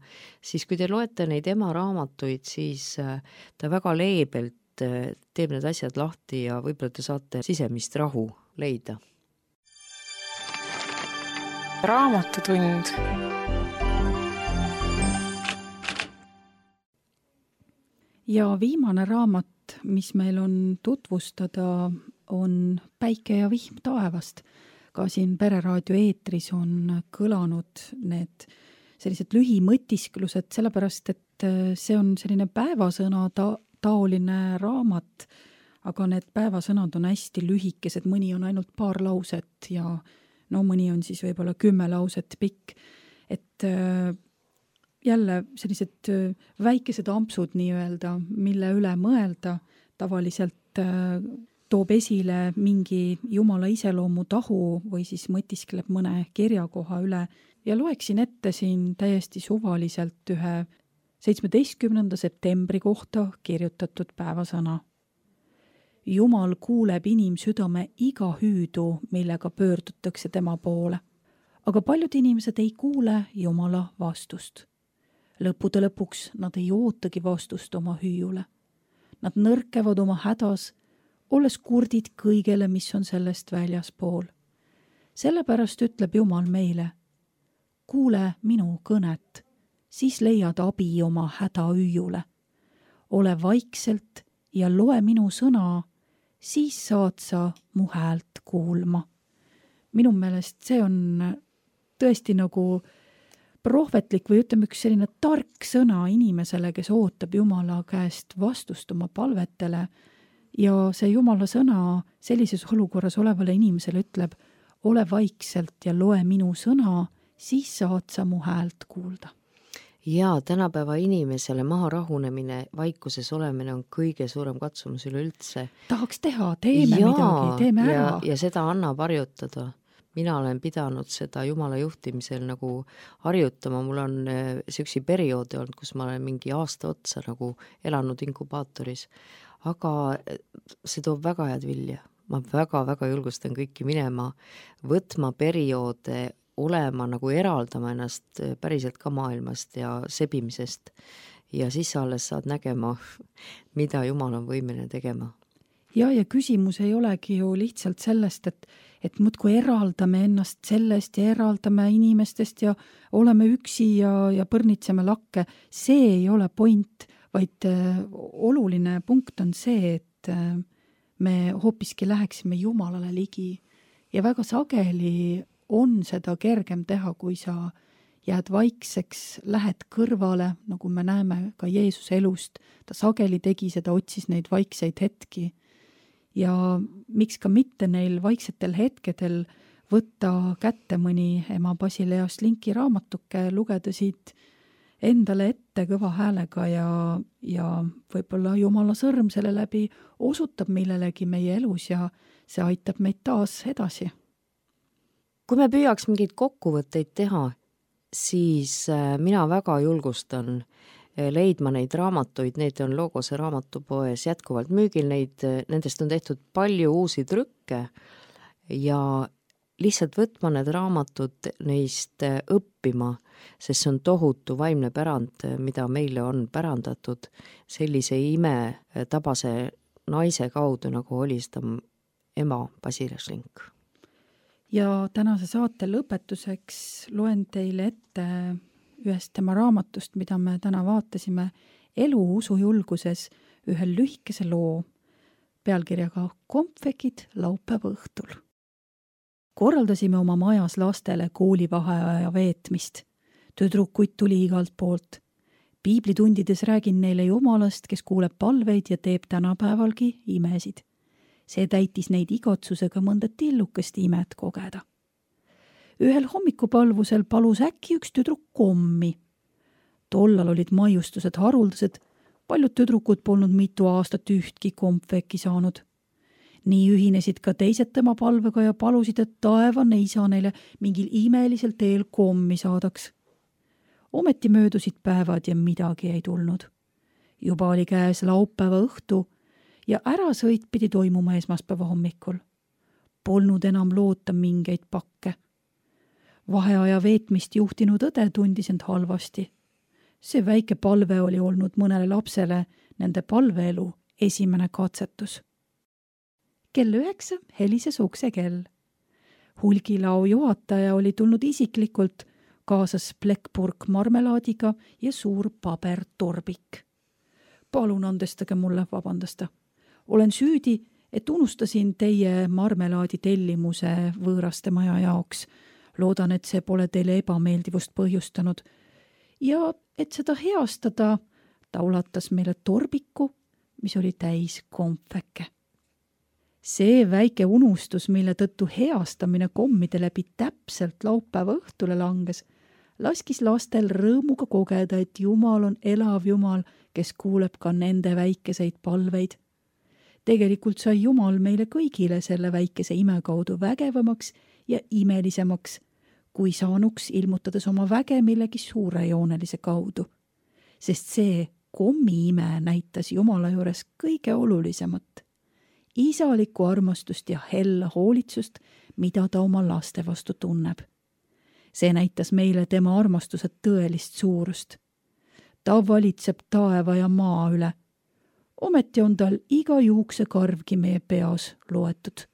Speaker 3: siis kui te loete neid ema raamatuid, siis ta väga leebelt teeb need asjad lahti ja võib-olla te saate sisemist rahu leida.
Speaker 4: Raamatutund.
Speaker 2: Ja viimane raamat, mis meil on tutvustada, on Päike ja vihm taevast. Ka siin Pereraadio eetris on kõlanud need sellised lühimõtisklused, sellepärast, et see on selline päevasõna taoline raamat, aga need päevasõnad on hästi lühikesed, mõni on ainult paar lauset ja mõni on siis võib-olla 10 lauset pikk. Et jälle sellised väikesed ampsud nii-öelda, mille üle mõelda, tavaliselt toob esile mingi Jumala iseloomu tahu või siis mõtiskleb mõne kirjakoha üle ja loeksin ette siin täiesti suvaliselt ühe 17. septembri kohta kirjutatud päevasõna. Jumal kuuleb inimsüdame iga hüüdu, millega pöördutakse tema poole, aga paljud inimesed ei kuule Jumala vastust. Lõppude lõpuks nad ei ootagi vastust oma hüüule. Nad nõrkevad oma hädas, olles kurdid kõigele, mis on sellest väljaspool. Sellepärast ütleb Jumal meile, kuule minu kõnet, siis leiad abi oma hädahüüjule. Ole vaikselt ja loe minu sõna, siis saad sa mu häält kuulma. Minu meelest see on tõesti nagu prohvetlik või ütleme üks selline tark sõna inimesele, kes ootab Jumala käest vastust oma palvetele. Ja see Jumala sõna sellises olukorras olevale inimesele ütleb, ole vaikselt ja loe minu sõna, siis saad sa mu häält kuulda.
Speaker 3: Ja tänapäeva inimesele maha rahunemine, vaikuses olemine on kõige suurem katsumus üleüldse.
Speaker 2: Tahaks teha, teeme midagi, teeme ära.
Speaker 3: Ja seda annab harjutada. Mina olen pidanud seda Jumala juhtimisel nagu harjutama. Mul on selline perioodi olnud, kus ma olen mingi aasta otsa nagu elanud inkubaatoris. Aga see toob väga head vilja. Ma väga julgustan kõiki minema, võtma perioode, olema nagu eraldama ennast päriselt ka maailmast ja sebimisest. Ja siis alles saad nägema, mida Jumal on võimeline tegema.
Speaker 2: ja küsimus ei olegi ju lihtsalt sellest, et muudkui eraldame ennast sellest ja eraldame inimestest ja oleme üksi ja põrnitseme lakke. See ei ole point, vaid oluline punkt on see, et me hoopiski läheksime Jumalale ligi. Ja väga sageli on seda kergem teha, kui sa jääd vaikseks, lähed kõrvale, nagu me näeme ka Jeesuse elust. Ta sageli tegi seda, otsis neid vaikseid hetki. Ja miks ka mitte neil vaiksetel hetkedel võtta kätte mõni ema Basilea Slinki raamatuke, lugeda siit endale ette kõva häälega ja võib-olla Jumala sõrm selle läbi osutab millelegi meie elus ja see aitab meid taas edasi.
Speaker 3: Kui me püüaks mingeid kokkuvõtteid teha, siis mina väga julgustan leidma neid raamatuid, need on Logose raamatupoes jätkuvalt müügil, nendest on tehtud palju uusi trükke ja lihtsalt võtma need raamatud, neist õppima, sest see on tohutu vaimne pärand, mida meile on pärandatud sellise imetabase naise kaudu, nagu oli seda ema Basilea Slink.
Speaker 2: Ja tänase saate lõpetuseks loen teile ette ühest tema raamatust, mida me täna vaatasime, Elu usujulguses, ühe lühikese loo pealkirjaga Kompvekid laupäeva õhtul. Korraldasime oma majas lastele koolivaheaja veetmist. Tüdrukuid tuli igalt poolt. Piiblitundides räägin neile Jumalast, kes kuuleb palveid ja teeb tänapäevalgi imesid. See täitis neid igatsusega mõnda tillukest imet kogeda. Ühel hommikupalvusel palus äkki üks tüdruk kommi. Tollal olid maiustused haruldased, paljud tüdrukud polnud mitu aastat ühtki kompveki saanud. Nii ühinesid ka teised tema palvega ja palusid, et taevane isa neile mingil imelisel teel kommi saadaks. Ometi möödusid päevad ja midagi ei tulnud. Juba oli käes laupäeva õhtu ja ärasõit pidi toimuma esmaspäeva hommikul. Polnud enam loota mingeid pakke. Vaheaja veetmist juhtinud õde tundis end halvasti. See väike palve oli olnud mõnele lapsele nende palveelu esimene katsetus. Kell 9 helises uksekell. Hulgilao juhataja oli tulnud isiklikult, kaasas plekkpurk marmelaadiga ja suur pabertorbik. Palun andestage mulle, vabandasta. Olen süüdi, et unustasin teie marmelaadi tellimuse võõraste maja jaoks. Loodan, et see pole teile ebameeldivust põhjustanud. Ja et seda heastada, ta ulatas meile torbiku, mis oli täis kompveke. See väike unustus, mille tõttu heastamine kommide läbi täpselt laupäeva õhtule langes, laskis lastel rõõmuga kogeda, et Jumal on elav Jumal, kes kuuleb ka nende väikeseid palveid. Tegelikult sai Jumal meile kõigile selle väikese ime kaudu vägevamaks ja imelisemaks, kui saanuks ilmutades oma väge millegi suurejoonelise kaudu. Sest see kommi-ime näitas Jumala juures kõige olulisemat. Isalikku armastust ja hella hoolitsust, mida ta oma laste vastu tunneb. See näitas meile tema armastuse tõelist suurust. Ta valitseb taeva ja maa üle. Ometi on tal iga juuksekarvgi meie peas loetud.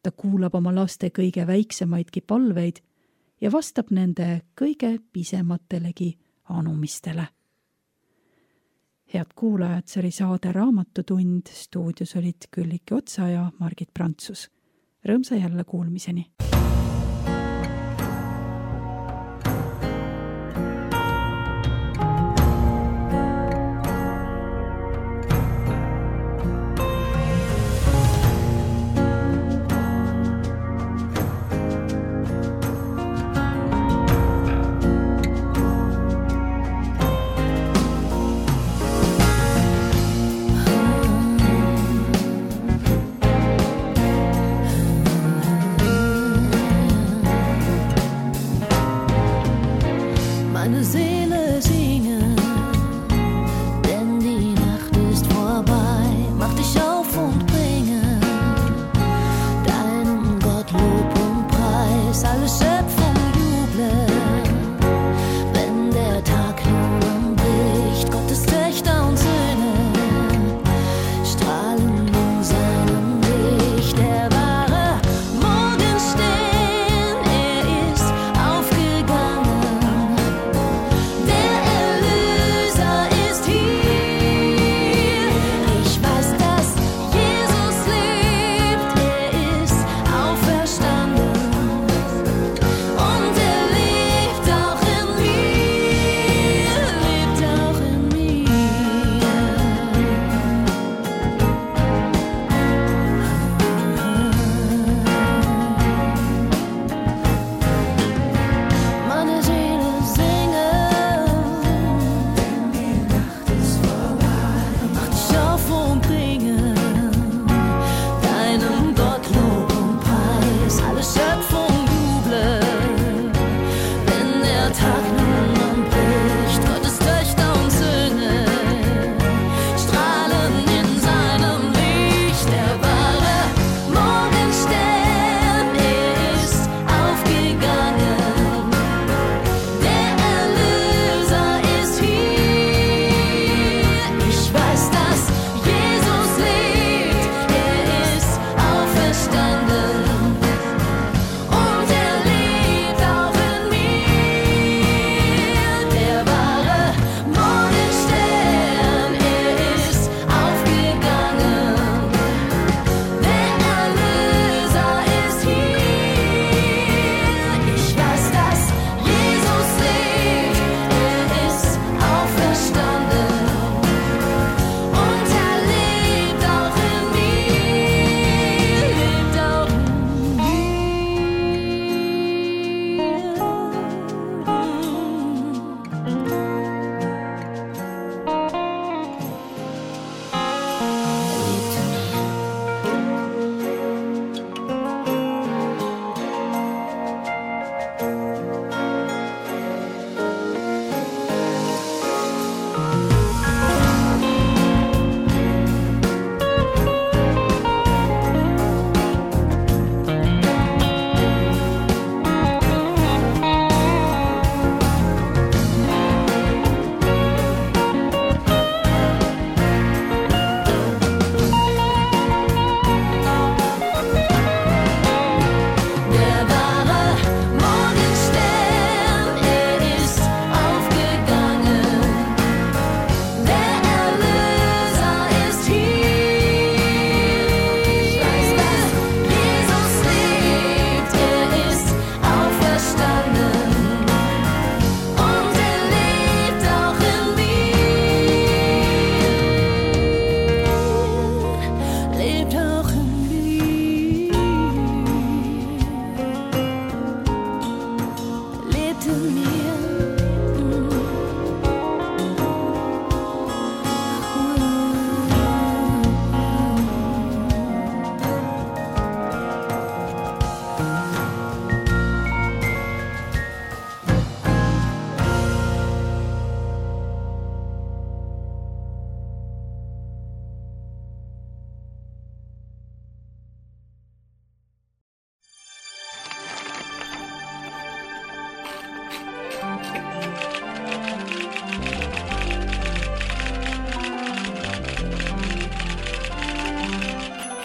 Speaker 2: Ta kuulab oma laste kõige väiksemaidki palveid ja vastab nende kõige pisematelegi anumistele. Head kuulajad, see oli saade Raamatutund, stuudios olid Külliki Otsa ja Margit Prantsus. Rõõmsa jälle kuulmiseni!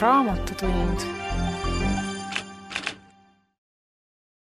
Speaker 4: Raamatutund